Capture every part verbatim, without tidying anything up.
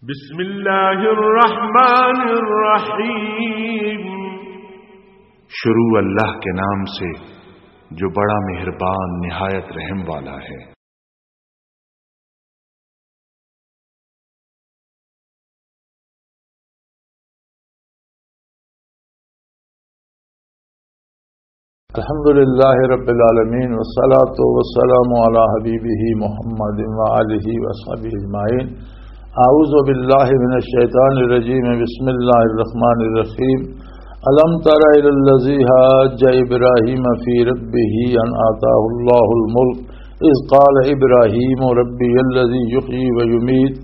بسم اللہ الرحمن الرحیم۔ شروع اللہ کے نام سے جو بڑا مہربان نہایت رحم والا ہے۔ الحمد لله رب العالمين، والصلاة والسلام على حبيبه محمد وآله وصحبه أجمعين. أعوذ بالله من الشيطان الرجيم. بسم الله الرحمن الرحيم. ألم تر إلى الذي حاج إبراهيم في ربه أن آتاه الله الملك إذ قال إبراهيم ربي الذي يحيي ويميت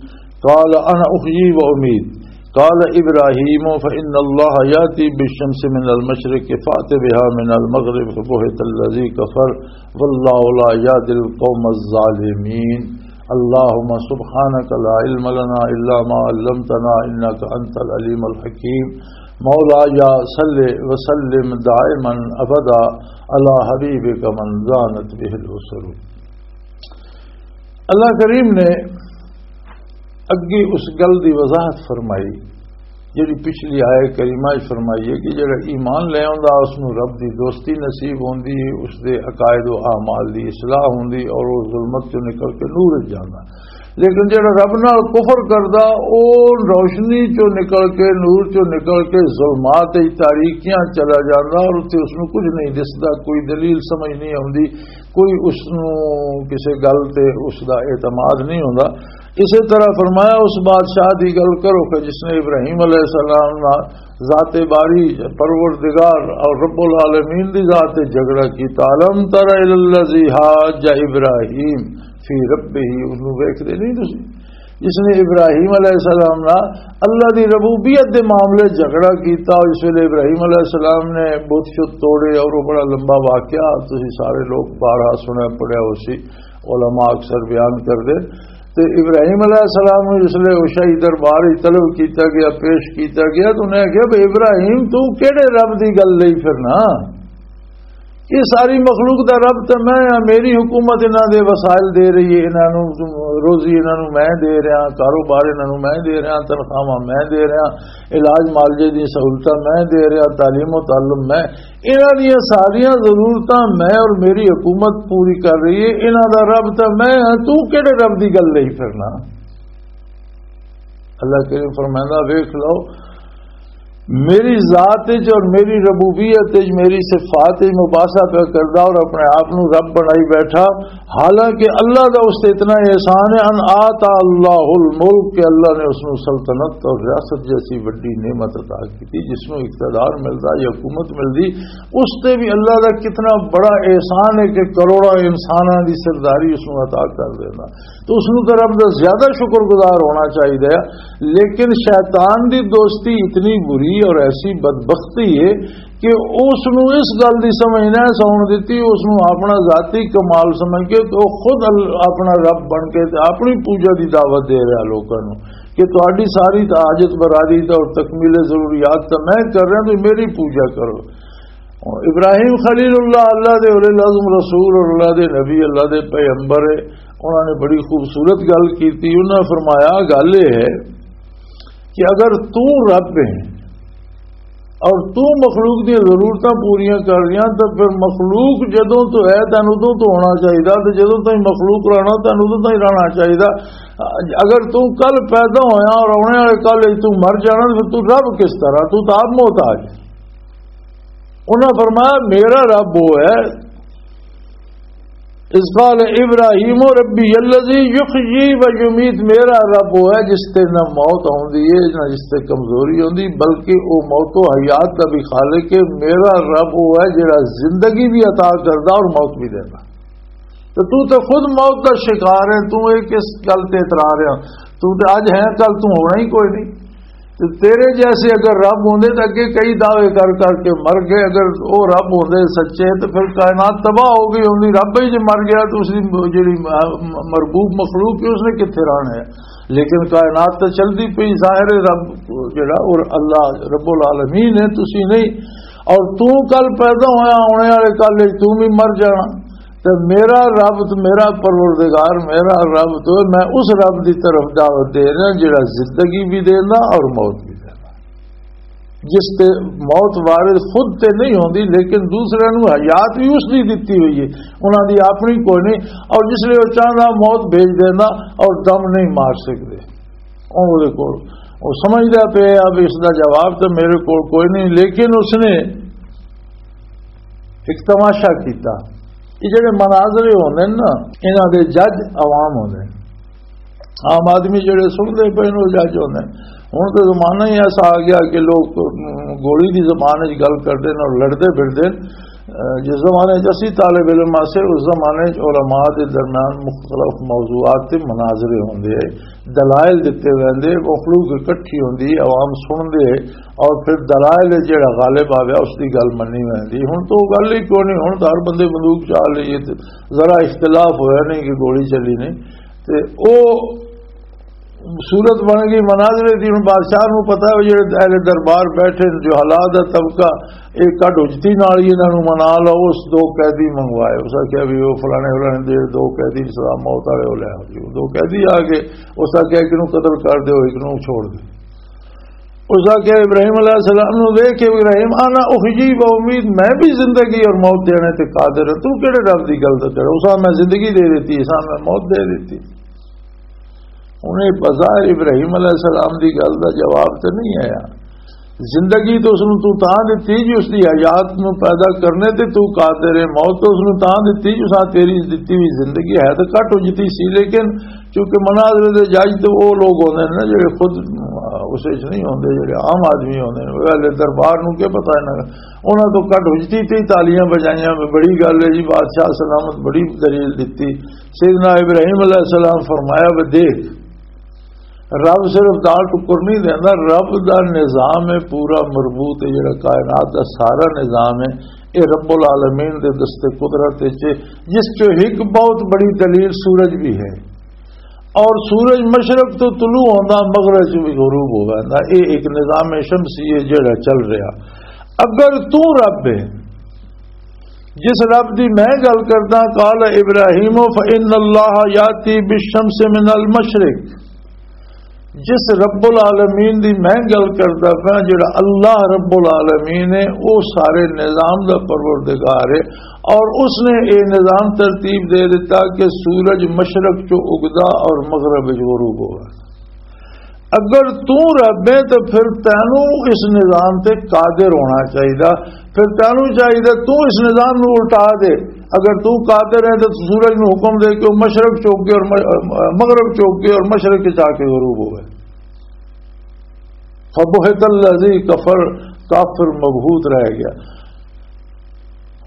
قال أنا أحيي وأميت. قال إبراهيم فإن الله يأتي بالشمس من المشرق فأت بها من المغرب فبهت الذي كفر والله لا يهدي القوم الظالمين. اللهم سبحانك لا علم لنا إلا ما علمتنا إنك أنت العليم الحكيم. مولاي صل وسلم دائما أبدا على حبيبك من زانت به الأسر. اللہ کریم نے اگے اس گل دی وضاحت فرمائی، جڑی پچھلی آیت کریمہ وچ فرمائی ہے کہ جڑا ایمان لے آوندا، اس نوں رب دی دوستی نصیب ہوندی، اس دے عقائد و اعمال دی اصلاح ہوندی اور وہ ظلمت چوں نکل کے نور وچ جاندا۔ لیکن جڑا رب نال کفر کردا، او روشنی چوں نکل کے، نور چوں نکل کے ظلمات وچ، تاریکیاں چلا جاندا اور اتھے اس نوں کچھ نہیں دسدا، کوئی دلیل سمجھ نہیں آوندی، کوئی اس نوں کسے گل تے اس دا اعتماد نہیں ہوندا۔ اسی طرح فرمایا، اس بادشاہ دی گل کرو کہ جس نے ابراہیم علیہ السلام نال ذات باری، پروردگار اور رب العالمین دی ذات تے جھگڑا کیتا۔ الم تر الی الذی حاج ابراہیم فی ربہ، اس نوں ویکھدے نہیں تسی؟ جس نے ابراہیم علیہ السلام نال اللہ دی ربوبیت دے معاملے جھگڑا کیتا، اس ویلے ابراہیم علیہ السلام نے بت شت توڑے اور وہ بڑا لمبا واقعہ تسی سارے لوگ بارہا سنیا پڑھیا ہو سی، علماء اکثر بیان کردے۔ تے ابراہیم علیہ السلام نوں جس لے وہ شاہی دربار وچ طلب کیتا گیا، پیش کیتا گیا، تو انہیں کہا، "بھئی ابراہیم، تو کیڑے رب دی گل لئی پھرنا؟ یہ ساری مخلوق دا رب تے میں ہاں، میری حکومت انہاں دے وسائل دے رہی ہے، انہاں نوں روزی انہاں نوں میں دے رہا، کاروبار انہاں نوں میں دے رہا، تنخواہاں میں دے رہا، علاج معالجے دی سہولتاں میں دے رہا، تعلیم و تعلم میں، انہاں دیاں ساریاں ضرورتاں میں اور میری حکومت پوری کر رہی ہے، انہاں دا رب تے میں ہاں، تو کیڑے رب دی گل لئی پھرنا؟" اللہ کریم فرمائندا، ویکھ لو، میری ذات وچ اور میری ربوبیت وچ، میری صفات وچ مباحثہ پہ کردا اور اپنے آپ نو رب بنائی بیٹھا، حالانکہ اللہ دا اس تے اتنا احسان ہے، ان آتا اللہ الملک، کہ اللہ نے اس نو سلطنت اور ریاست جیسی بڑی نعمت عطا کی تھی، جس نو اقتدار ملدا یا حکومت ملدی، اس تے بھی اللہ دا کتنا بڑا احسان ہے کہ کروڑاں انساناں دی سرداری اس نو عطا کر دینا۔ تو اس نوں تے رب دا زیادہ شکر گزار ہونا چاہیے۔ لیکن شیطان دی دوستی اتنی بری اور ایسی بدبختی ہے کہ اس نوں اس گل دی سمجھ نہ ساؤن دتی، اس نوں اپنا ذاتی کمال سمجھ کے تو خود ال-، اپنا رب بن کے تے اپنی پوجا دی دعوت دے رہا لوکاں نوں کہ تہاڈی ساری تے حاجت براری تے اور تکمیل ضروریات تے میں کر رہا، تو میری پوجا کرو۔ ابراہیم خلیل اللہ، اللہ دے اولے العزم رسول اور اللہ دے نبی، اللہ دے پیغمبر ہے، انہاں نے بڑی خوبصورت گل کیتی۔ انہاں فرمایا، گل یہ ہے کہ اگر تو رب ہے اور تو مخلوق دی ضرورتاں پوریاں کر رہیا، تو پھر مخلوق جدوں تو ہے، تینوں ادوں تو ہونا چاہیے، تو جدوں تائیں مخلوق رہنا، تینوں ادوں تائیں رہنا چاہیے۔ اگر تو کل پیدا ہویا اور آنے والے کل تو مر جانا، تو پھر تو رب کس طرح؟ تو تو آپ محتاج ہے۔ انہاں فرمایا، میرا رب وہ ہے، اذ قال ابراہیم ربی الذی یحیی و یمیت، میرا رب وہ ہے جس تے نہ موت ہوندی ہے، نہ جس تے کمزوری ہوندی، بلکہ وہ موت و حیات دا بھی خالق ہے۔ میرا رب وہ ہے جڑا زندگی بھی عطا کردا اور موت بھی دیندا۔ تو تو تے خود موت دا شکار ہے، تو یہ کس گل تے اترا رہا؟ تو تے اج ہے، کل تو ہونا ہی کوئی نہیں۔ تے تیرے جیسے اگر رب ہوندے تے اگے کئی دعوے کر کر کے مر گئے۔ اگر او رب ہوندے سچے تے پھر کائنات تباہ ہو گئی ہوندی۔ رب ہی جے مر گیا تو اس دی جڑی م-، مربوب مخلوق ہے، اس نے کتھے رہنا ہے؟ لیکن کائنات تے چلدی پئی، ظاہر ہے رب جڑا اور اللہ رب العالمین ہے، تسی نہیں۔ اور تو کل پیدا ہویا، ہونے والے کل وچ تو بھی مر جانا۔ تے میرا رب تے میرا پروردگار، میرا رب تو، میں اس رب دی طرف دعوت دے رہا جڑا زندگی بھی دینا اور موت بھی دینا۔ جس تے موت وارد خود تے نہیں ہوندی، لیکن دوسرے نوں حیات بھی اس دی دتی ہوئی ہے، انہاں دی اپنی کوئی نہیں۔ اور جس لئے وہ چاہنا موت بھیج دینا اور دم نہیں مار سکدے۔ اون دے کول، او سمجھدا پیا اب اس دا جواب تے میرے کول کوئی نہیں، لیکن اس نے ایک تماشا کیتا۔ یہ جڑے مناظرے ہوندے نے نا، انہاں دے جج عوام ہوندے نے۔ عام آدمی جڑے سنتے پے نے، وہ جج ہوندے نے۔ ہن تے زمانہ ہی ایسا آ گیا کہ لوگ، ام، گولی دی زبان وچ گل کردے نے اور لڑدے پھردے نے۔ ام، جس زمانے وچ اسی طالب علم آسے، اس زمانے وچ علماء دے درمیان مختلف موضوعات تے مناظرے ہوندے، دلائل دتے ویندے، مخلوق اکٹھی ہوندی، عوام سن دے، اور پھر دلائل جڑا غالب آ گیا، اس دی گل منی ویندی۔ ہن تو گل ہی کوئی نہیں، ہن تو ہر بندے بندوق چا لئی ہے، تے ذرا اختلاف ہویا نہیں کہ گولی چلی نہیں۔ تے او صورت بن گئی مناظرے دی۔ ہن بادشاہ نوں پتہ ہے، جڑے اہل دربار بیٹھے نے، جو حالات دا طبقہ، ایک کٹ حجتی نال ہی انہاں نوں منا لو۔ اس دو قیدی منگوائے، اس آکھیا بھی وہ فلانے فلانے دے دو قیدی سزا موت والے ہو لے آؤ جی۔ دو قیدی آ گئے، اس آکھیا ایک نوں قتل کر دیو، ایک نوں چھوڑ دیو۔ اس آکھیا ابراہیم علیہ السلام نوں ویکھ کے، ابراہیم، انا احیی و امید، میں بھی زندگی اور موت دینے تے قادر ہاں، تو کیڑے رب دی گل تے کرے؟ اس آکھیا میں زندگی دے دیتی، اس آکھیا میں موت دے دیتی۔ انہیں بظاہر ابراہیم علیہ السلام دی گل دا جواب تے نہیں آیا۔ زندگی تو اس نوں تو تاں دتی جی اس دی حیات نوں پیدا کرنے تے تو قادر ہے، موت تو اس نوں تاں دتی جی اس آ تیری دتی ہوئی زندگی ہے تو گھٹ اجتی سی، لیکن چونکہ مناظرے دے جج تے او لوگ ہوندے نے نا جڑے خود اس وچ نہیں ہوندے، جڑے عام آدمی ہوندے نے، وہ اہل دربار نوں کی پتہ انہاں دا؟ انہاں تو گھٹ اجتی تے ہی تالیاں بجائیاں، بڑی گل ہے جی، بادشاہ سلامت، بڑی دلیل دتی۔ سیدنا ابراہیم علیہ السلام فرمایا، "وہ دیکھ، رب صرف دال ٹکر نہیں دینا، رب دا نظام ہے پورا مربوط، ہے جڑا کائنات دا سارا نظام ہے، اے رب العالمین دے دست قدرت وچ ہے، جس چوں ایک بہت بڑی دلیل سورج بھی ہے، اور سورج مشرق تو طلوع ہوندا، مغرب چ بھی غروب ہو ویندا، اے ایک نظام شمسی ہے جڑا چل رہا۔ اگر تو رب ہے، جس رب دی میں گل کردا، قال ابراہیم فإن اللہ یاتی بالشمس من المشرق۔" جس رب العالمین دی میں گل کردا پیا، جڑا اللہ رب العالمین ہے، او سارے نظام دا پروردگار ہے، اور اس نے اے نظام ترتیب دے دیتا کہ سورج مشرق چوں اگدا اور مغرب وچ غروب ہوگا۔ اگر تو رب ہے تو پھر تینوں اس نظام تے قادر ہونا چاہیے، پھر تینوں چاہیے تو اس نظام نو الٹا دے۔ اگر تو قادر ہے تو سورج نو حکم دے کہ وہ مشرق چوک کے اور م-، مغرب چوک کے اور مشرق کے جا کے غروب ہوئے۔ فبہت الذی کفر، کافر مبہوت رہ گیا۔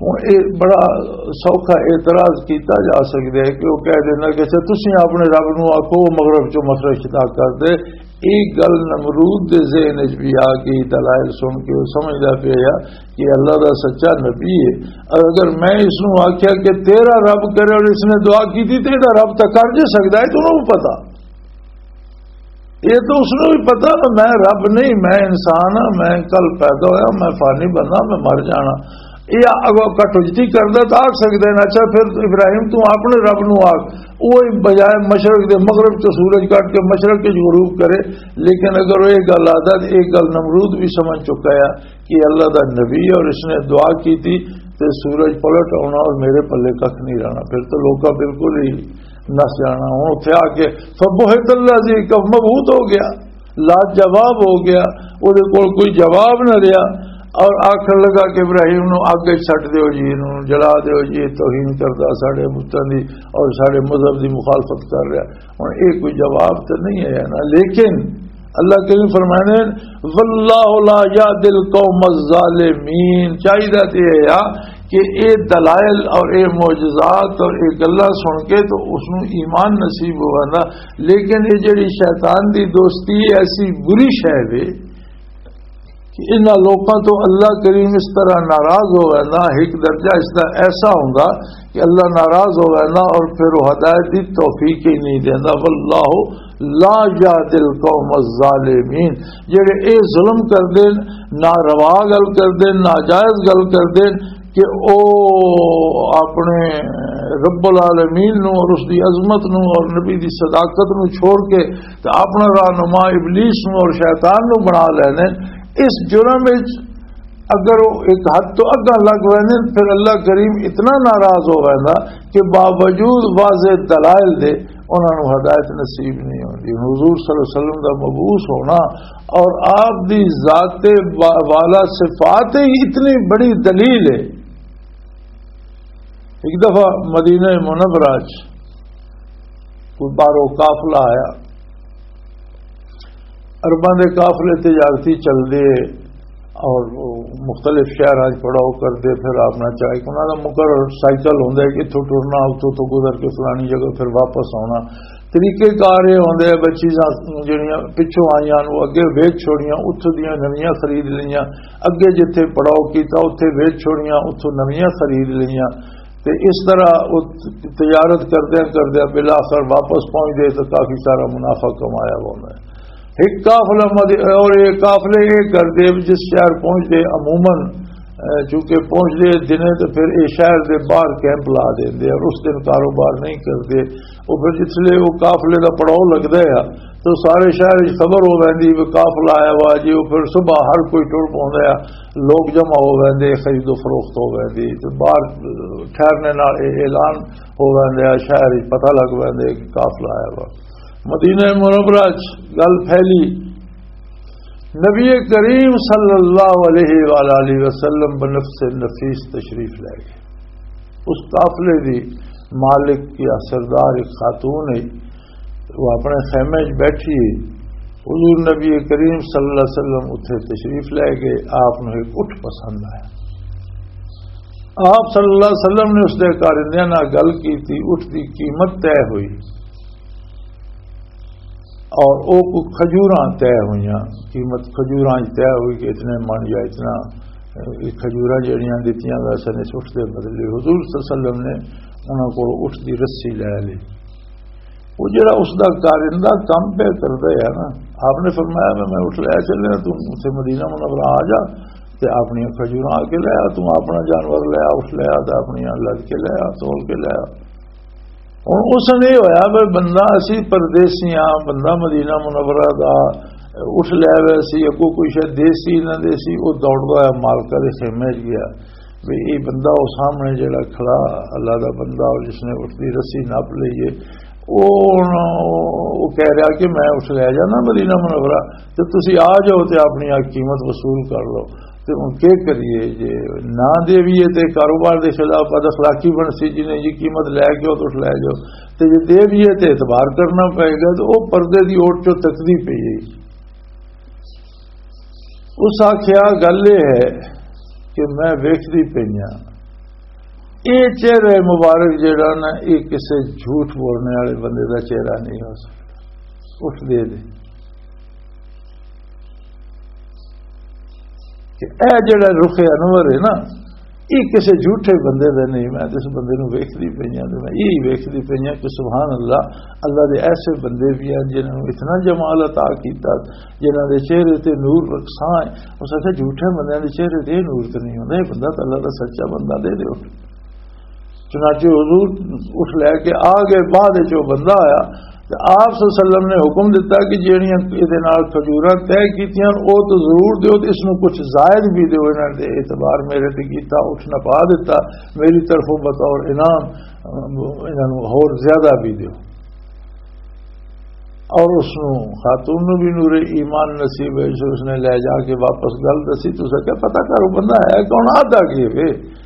ہن اے بڑا سوکھا اعتراض کیتا جا سکدا ہے کہ وہ کہہ دینا کہ اچھا تسی اپنے رب نو آکھو وہ مغرب چوں مشرق خطا کر دے۔ ایک گل نمرود دے ذہن وچ بھی آ گئی، دلائل سن کے وہ سمجھدا پیا کہ اللہ دا سچا نبی ہے۔ اگر میں اس نو آکھیا کہ تیرا رب کرے اور اس نے دعا کی تھی، تیرا رب تاں کر جے سکدا ہے، تو انہوں پتا۔ یہ تو اس نوں بھی پتا کہ میں رب نہیں، میں انسان ہاں، میں کل پیدا ہویا، میں فانی بندہ، میں مر جانا۔ یہ اگو کٹوجتی کردا تو آکھ سکدے نے، اچھا پھر ابراہیم تو اپنے رب نوں آکھ، وہ بجائے مشرق دے مغرب چ سورج کٹ کے مشرق وچ غروب کرے۔ لیکن اگر وہ یہ گل آدا تو یہ گل نمرود بھی سمجھ چکا ہے کہ اللہ دا نبی ہے اور اس نے دعا کی تھی تے سورج پلٹ آنا اور میرے پلے ککھ نہیں رہنا، پھر تو لوکاں بالکل ہی نس جانا۔ ہن اتھے آ کے فبہت اللہ جی کف مبہوت ہو گیا، لاجواب ہو گیا، اودے کول کوئی جواب نہ رہیا۔ اور آخر لگا کہ ابراہیم نو اگ وچ سٹ دیو جی، انہوں جلا دیو جی، یہ توہین کردا ساڈے بتاں دی اور ساڈے مذہب دی مخالفت کر رہا۔ ہن یہ کوئی جواب تے نہیں ہے نا، لیکن اللہ کریم فرمانے، "واللہ لا یهدی القوم الظالمین"، چاہیدا تے یہ آ کہ اے دلائل اور اے معجزات اور اے گلاں سن کے تو اس نوں ایمان نصیب ہو ویندا، لیکن اے جڑی شیطان دی دوستی ایسی بری شے وے کہ انہاں لوکاں تو اللہ کریم اس طرح ناراض ہو ویندا، ایک درجہ اس دا ایسا ہوندا کہ اللہ ناراض ہو ویندا اور پھر وہ ہدایت دی توفیق ہی نہیں دیندا۔ واللہ لا یهدی القوم الظالمین، جڑے اے ظلم کردے نے، ناروا گل کردے نے، ناجائز گل کردے نے کہ او اپنے رب العالمین نو اور اس دی عظمت نو اور نبی دی صداقت نو چھوڑ کے تے اپنا رہنما ابلیس نو اور شیطان نو بنا لینے۔ اس جرم وچ اگر وہ ایک حد تو اگاں لگ ویندے، پھر اللہ کریم اتنا ناراض ہو ویندا کہ باوجود واضح دلائل دے انہاں نوں ہدایت نصیب نہیں ہوندی۔ حضور صلی اللہ علیہ وسلم دا مبعوث ہونا اور آپ دی ذات با-، والا صفات ہی اتنی بڑی دلیل ہے۔ ایک دفعہ مدینہ منورہ چ کوئی باہروں قافلہ آیا، عرباں دے قافلے تجارتی چلدے اور مختلف شہراں 'چ پڑاؤ کردے، پھر اپنا چاہے انہاں دا مقرر سائیکل ہوندا ہے کہ اتھوں ٹرنا، اتھوں تو گزر کے فلانی جگہ پھر واپس آنا۔ طریقے کار یہ ہوندے ہیں، بس چیزاں جڑیاں پچھوں آئیاں نوں اگے ویچ چھوڑیاں، اتھوں دیاں نویاں خرید لئیاں، اگے جتھے پڑاؤ کیتا اتھے ویچ چھوڑیاں، اتھوں نویاں خرید لئیاں۔ تے اس طرح وہ تجارت کردیاں کردیاں بالآخر واپس پہنچ گئے تو کافی سارا منافع کمایا ہوا میں۔ ایک قافلہ مد-، اور یہ قافلے یہ کردے جس شہر پہنچ دے عموماً، اے، چونکہ پہنچ دے دنے تو پھر یہ شہر دے باہر کیمپ لا دے اور اس دن کاروبار نہیں کردے۔ وہ پھر جس لئے وہ قافلے دا پڑاؤ لگدا ہے تو سارے شہر وچ خبر ہو ویندی بھی قافلہ آیا ہوا جی۔ وہ پھر صبح ہر کوئی ٹر پوندا ہے، لوگ جمع ہو ویندے، خرید و فروخت ہو ویندی، تے باہر ٹھہرنے نال اے اعلان ہو ویندے، شہر وچ پتہ لگ ویندے کہ قافلہ آیا وا۔ مدینہ منورہ چ گل پھیلی، نبی کریم صلی اللہ علیہ وآلہ وسلم بنفس نفیس تشریف لے گئے۔ اس قافلے دی مالک یا سردار ایک خاتون ہے، وہ اپنے خیمے وچ بیٹھی ہے۔ حضور نبی کریم صلی اللہ علیہ وسلم اتھے تشریف لے گئے، آپ نوں ایک اٹھ پسند آیا۔ آپ صلی اللہ علیہ وسلم نے اس دے کارندیاں نال گل کیتی، اٹھ دی قیمت طے ہوئی اور او کو کھجوراں طے ہوئیاں، قیمت کھجوراں طے ہوئی کہ اتنے من یا اتنا، اے، کھجوراں جڑیاں دتیاں ویسے نے اس اٹھ دے بدلے۔ حضور صلی اللہ علیہ وسلم نے انہاں کو اٹھ دی رسی لے لی۔ وہ جڑا اس دا کارندہ کم پہ کردا ہے نا، آپ نے فرمایا، "میں، میں اٹھ لے چلے، تو اتھے مدینہ منورہ آ جا، تے اپنی کھجوراں آ کے لے آ، تو اپنا جانور لے آ، اٹھ لے آ، تے اپنی لد کے لے آ، تول کے لے آ۔" ہن اس نے ہویا بھی بندہ اسی پردیسی ہاں، بندہ مدینہ منورہ دا اٹھ لے وے سی، اگوں کوئی شاید دیسی نہ دیسی، وہ دوڑدا ہوا مالکہ دے خیمے وچ گیا۔ بھی یہ بندہ وہ سامنے جڑا کھڑا اللہ دا بندہ اور جس نے اٹھ دی رسی نپ لئی ہے، وہ ہن وہ کہہ رہا کہ میں اٹھ لے جانا مدینہ منورہ، تے تسی آ جاؤ تے اپنی آ قیمت وصول کر لو۔ تے ہن کی کریے جے نہ دیویے تے کاروبار دے خلاف بد اخلاقی بن سی، جنہیں جی قیمت لے کے تو اٹھ لے جاؤ، تے جے دیویے تے اعتبار کرنا پائے گا۔ تے وہ پردے دی اوٹ چوں تکدی پئی ہے۔ اس آکھیا، "گل یہ ہے کہ میں ویکھدی پئی ہاں، یہ چہرہ مبارک جڑا نا، یہ کسے جھوٹ بولنے والے بندے دا چہرہ نہیں ہو سکتا۔" اٹھ دے دے کہ اے جڑا رخ انور ہے نا، یہ کسے جھوٹے بندے دا نہیں۔ میں تے اس بندے نوں ویکھدی پئی ہاں، تے میں یہی ویکھدی پئی ہاں کہ سبحان اللہ، اللہ دے ایسے بندے بھی ہیں جنہاں نوں اتنا جمال عطا کیتا، جنہاں دے چہرے تے نور رکھساں ہے۔ اس آکھیا، "جھوٹے بندیاں دے چہرے تے نور تے نہیں ہوندا، یہ بندہ تے اللہ دا سچا بندہ دے دے اٹھ۔" چنانچہ حضور اٹھ لے کے آ گئے۔ بعد وچ وہ بندہ آیا تے آپ صلی اللہ علیہ وسلم نے حکم دتا کہ جہڑیاں اے دے نال کھجوراں طے کیتیاں، او تو ضرور دیو تے اس نوں کچھ زائد بھی دیو، انہاں نے اعتبار میرے تے کیتا، اٹھ نہ پا دتا، میری طرفوں بطور انعام، انہاں نوں ہور زیادہ بھی دیو۔ اور اس نوں، خاتون نوں بھی نور ایمان نصیب ہے، جو اس نے لے جا کے واپس گل دسی۔ تو اساں کیا پتہ کرو بندہ ہے کون، آدھا کی وے؟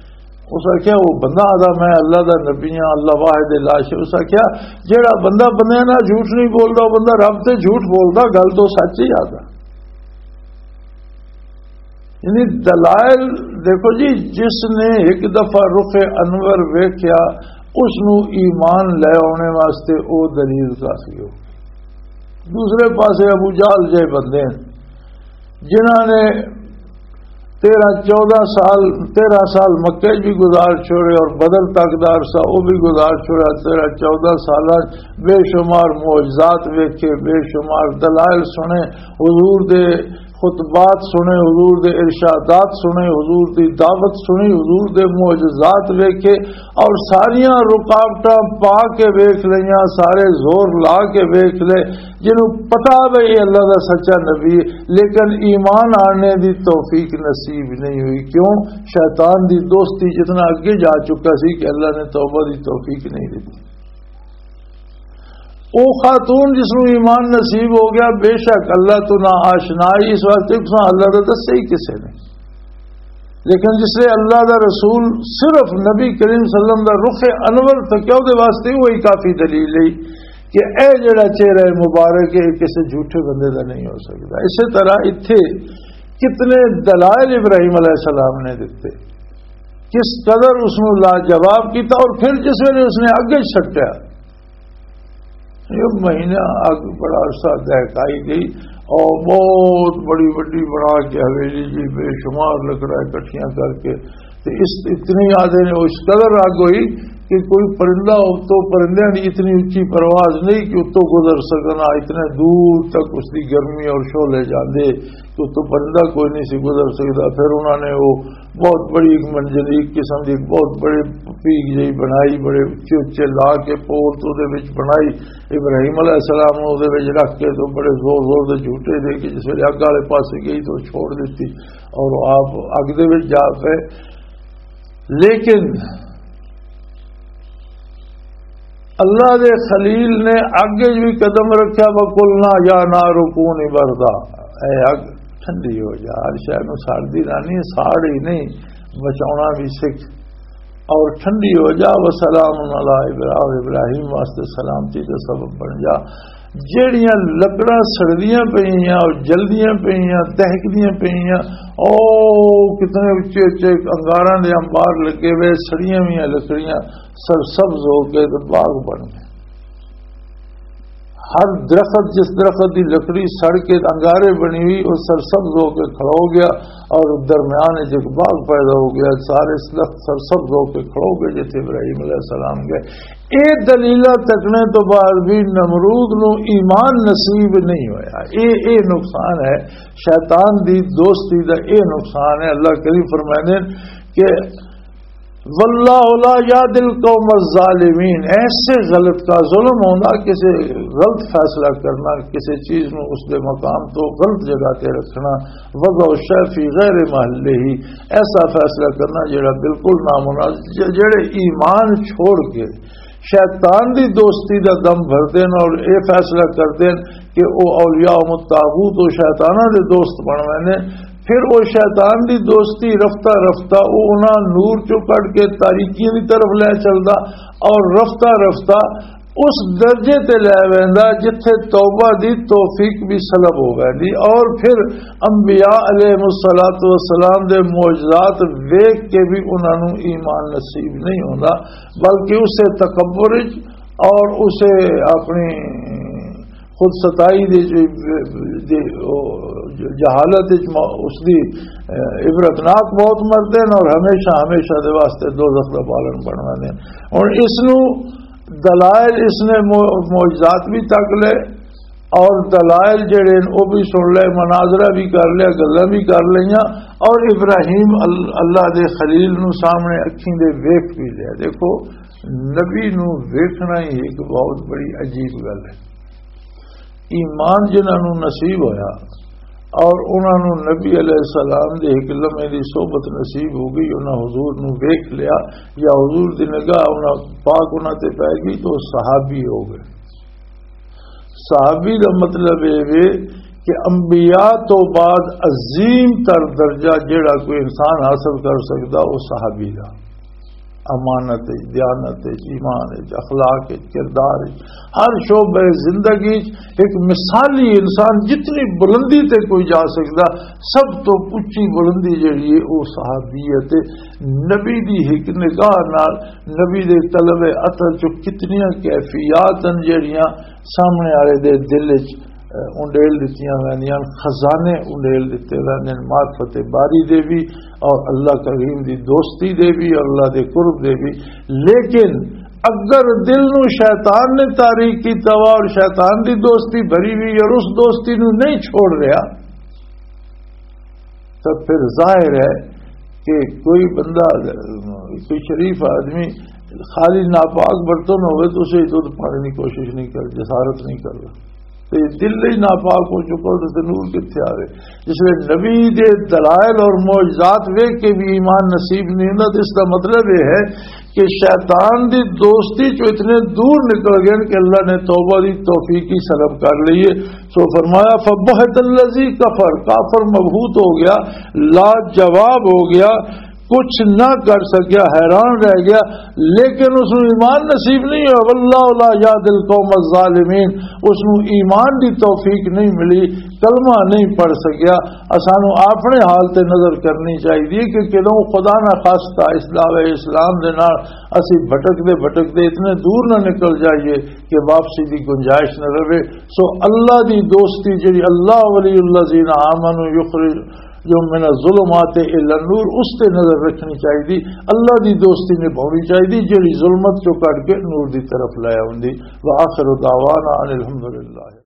اس آکھیا، "وہ بندہ آدھا میں اللہ دا نبی ہاں، اللہ واحد لا شریک۔" اس آکھیا، "جیڑا بندہ بندے نال جھوٹ نہیں بولدا، وہ بندہ رب تے جھوٹ بولدا، گل تو سچ ہی آدھا۔" یعنی دلائل دیکھو جی، جس نے ایک دفعہ رخ انور ویکھیا، اس نو ایمان لے آنے واسطے او دلیل کافی ہو۔ دوسرے پاسے ابو جہل جے بندے ہیں، جنہاں نے تیرہ چودہ سال، تیرہ سال مکے بھی گزار چھوڑے اور بدر تک دا عرصہ وہ بھی گزار چھوڑا۔ تیرہ چودہ سال بے شمار معجزات ویکھے، بے شمار دلائل سنے، حضور دے خطبات سنے، حضور دے ارشادات سنے، حضور دی دعوت سنی، حضور دے معجزات ویکھے، اور ساریاں رکاوٹاں پا کے ویکھ لئیاں، سارے زور لا کے ویکھ لے، جنہوں پتا بھی یہ اللہ دا سچا نبی ہے، لیکن ایمان آنے دی توفیق نصیب نہیں ہوئی۔ کیوں؟ شیطان دی دوستی جتنا اگے جا چکا سی کہ اللہ نے توبہ دی توفیق نہیں دی۔ او خاتون جس نوں ایمان نصیب ہو گیا، بے شک اللہ تو نا آشنا ہی، اس واسطے اس نوں اللہ دا دسیا ہی کسے نے۔ لیکن جس لئے اللہ دا رسول صرف نبی کریم صلی اللہ علیہ وسلم دا رخ انور تکیا، او دے واسطے وہی کافی دلیل ہے کہ اے جڑا چہرہ مبارک ہے، کسے جھوٹے بندے دا نہیں ہو سکتا۔ اسی طرح اتھے کتنے دلائل ابراہیم علیہ السلام نے دیتے، کس قدر اس نوں لاجواب کیتا، اور پھر جس ویلے اس نے اگے چھٹیا، ایک مہینہ اگ بڑا عرصہ دہکائی گئی، اور بہت بڑی بڑی بنا کے حویلی جی، بے شمار لکڑاں اکٹھیاں کر کے، تے اس اتنی آدھے نے اس قدر اگ ہوئی کہ کوئی پرندہ، تو پرندیاں دی اتنی اچھی پرواز نہیں کہ اتوں گزر سکنا، اتنے دور تک اس دی گرمی اور شعلے جاندے کہ اتوں پرندہ کوئی نہیں سی گزر سکدا۔ پھر انہوں نے وہ بہت بڑی ایک منجنیق قسم دی ایک بہت بڑی پیگ جہی بنائی، بڑے اچے اچے لا کے پول تو دے وچ بنائی۔ ابراہیم علیہ السلام نوں دے وچ رکھ کے تو بڑے زور زور دے جھوٹے دے کے جس ویلے اگ والے پاسے گئی تو چھوڑ دتی اور آپ اگ دے وچ جا پے۔ لیکن اللہ دے خلیل نے اگ وچ بھی قدم رکھیا، "وَقُلْنَا يَا نَارُ كُونِي بَرْدًا"، اے اگ ٹھنڈی ہو جا، ہر شے نوں ساڑدی رہنی، ساڑ ہی نہیں، بچاونا بھی سکھ، اور ٹھنڈی ہو جا، "وَسَلَامٌ عَلَىٰ إِبْرَاهِيمَ"، ابراہیم واسطے سلامتی دا سبب بن جا۔ جیڑیاں لکڑاں سڑدیاں پئیاں اور جلدیاں پئیاں، دہکدیاں پئیاں، او کتنے اچے اچے انگاراں دے انبار لگے ہوئے، سڑیاں ہوئیاں لکڑیاں سرسبز ہو کے تے باغ بن گئے۔ ہر درخت، جس درخت دی لکڑی سڑ کے انگارے بنی ہوئی، وہ سرسبز ہو کے کھڑا ہو گیا اور درمیان وچ ایک باغ پیدا ہو گیا۔ سارے درخت سرسبز ہو کے کھڑا ہو گئے جتھے ابراہیم علیہ السلام گئے۔ اے دلیلاں تکنے تو بعد بھی نمرود نو ایمان نصیب نہیں ہویا۔ اے، اے نقصان ہے، شیطان دی دوستی دا اے نقصان ہے۔ اللہ کریم فرمائے کہ "واللہ لا یہدی القوم الظالمین"، ایسے غلط کا ظلم ہونا، کسی غلط فیصلہ کرنا، کسی چیز نو اس دے مقام تو غلط جگہ تے رکھنا، "وضع الشیء فی غیر محلہ"، ایسا فیصلہ کرنا جڑا بالکل نامناسب، ج-، جڑے ایمان چھوڑ کے شیطان دی دوستی دا دم بھر دین اور اے فیصلہ کر دین کہ او اولیاء و طاغوت و شیطاناں دے دوست بن ویندے، پھر او شیطان دی دوستی رفتہ رفتہ او انہاں نور چوں کڈ کے تاریکیاں دی طرف لے چلدا، اور رفتہ رفتہ اس درجے تے لے ویندا جتھے توبہ دی توفیق بھی سلب ہو ویندی، اور پھر انبیاء علیہ الصلوۃ والسلام دے معجزات ویکھ کے بھی انہاں نوں ایمان نصیب نہیں ہوندا، بلکہ اسے تکبر وچ اور اسے اپنی خود ستائی دے، دے، جہالت وچ م-، اس دی، اے، عبرتناک موت مردے نے اور ہمیشہ، ہمیشہ دے واسطے دوزخ دا پالن بننا نے۔ ہن اس نو دلائل اس نے مو-، معجزات بھی تک لے اور دلائل جڑے نے او بھی سن لے، مناظرہ بھی کر لیا، گلاں بھی کر لئیاں اور ابراہیم ال-، اللہ دے خلیل نو سامنے اکھیں دے ویکھ بھی لیا۔ دیکھو، نبی نو ویکھنا ہی ایک بہت بڑی عجیب گل ہے۔ ایمان جنہاں نو نصیب ہویا اور انہاں نو نبی علیہ السلام دے ایک لمحے دی صحبت نصیب ہو گئی، انہاں حضور نو ویکھ لیا یا حضور دی نگاہ انہاں پاک انہاں تے پے گئی تو صحابی ہو گئے۔ صحابی دا مطلب اے وے کہ انبیاء تو بعد عظیم تر درجہ جیڑا کوئی انسان حاصل کر سکدا، او صحابی دا۔ امانت وچ، دیانت وچ، ایمان وچ، اخلاق وچ، کردار وچ، ہر شعبہ زندگی وچ ایک مثالی انسان جتنی بلندی تے کوئی جا سکدا، سب تو اچھی بلندی جیڑی ہے، او صحابیت ہے۔ نبی دی ایک نگاہ نال، نبی دے طلب عطر چوں کتنیاں کیفیات ہیں جیڑیاں سامنے والے دے دل وچ، اے، انڈیل دتیاں ویندیاں، خزانے انڈیل دتے ویندے نے، معرفت باری دے بھی اور اللہ کریم دی دوستی دے بھی اور اللہ دے قرب دے بھی۔ لیکن اگر دل نو شیطان نے تاریک کیتا وا اور شیطان دی دوستی بھری ہوئی اور اس دوستی نو نہیں چھوڑ رہا، تو پھر ظاہر ہے کہ کوئی بندہ، کوئی شریف آدمی خالی ناپاک برتن ہوئے تو اسے دودھ پانے کی کوشش نہیں کر، جسارت نہیں کرتا۔ تو یہ دل ہی ناپاک ہو چکا ہو تو نور کتنے آوے؟ جس نے نبی دے دلائل اور معجزات ویکھ کے بھی ایمان نصیب نہیں ہوندا، تو اس کا مطلب یہ ہے کہ شیطان دی دوستی چو اتنے دور نکل گئے کہ اللہ نے توبہ دی توفیق ہی سلب کر لی ہے۔ سو فرمایا، فبہت الذی کفر، کافر مبہوت ہو گیا، لاجواب ہو گیا، کچھ نہ کر سکیا، حیران رہ گیا، لیکن اس نوں ایمان نصیب نہیں ہوا۔ واللہ لا یہدی القوم الظالمین، اس نوں ایمان دی توفیق نہیں ملی، کلمہ نہیں پڑھ سکیا۔ اسانوں اپنے حال تے نظر کرنی چاہیے کہ کدوں خدا نہ خاصتا اس دعوے اسلام دے نال اسی بھٹکدے بھٹکدے اتنے دور نہ نکل جائیے کہ واپسی دی گنجائش نہ رہے۔ سو اللہ دی دوستی جڑی، اللہ ولی الذین آمنوا یخرج جو من الظلمات الی النور، اس تے نظر رکھنی چاہیے۔ اللہ دی دوستی نبھاونی چاہیے جڑی ظلمت چوں کڈ کے نور دی طرف لے آوندی۔ وآخر دعوانا ان الحمدللہ۔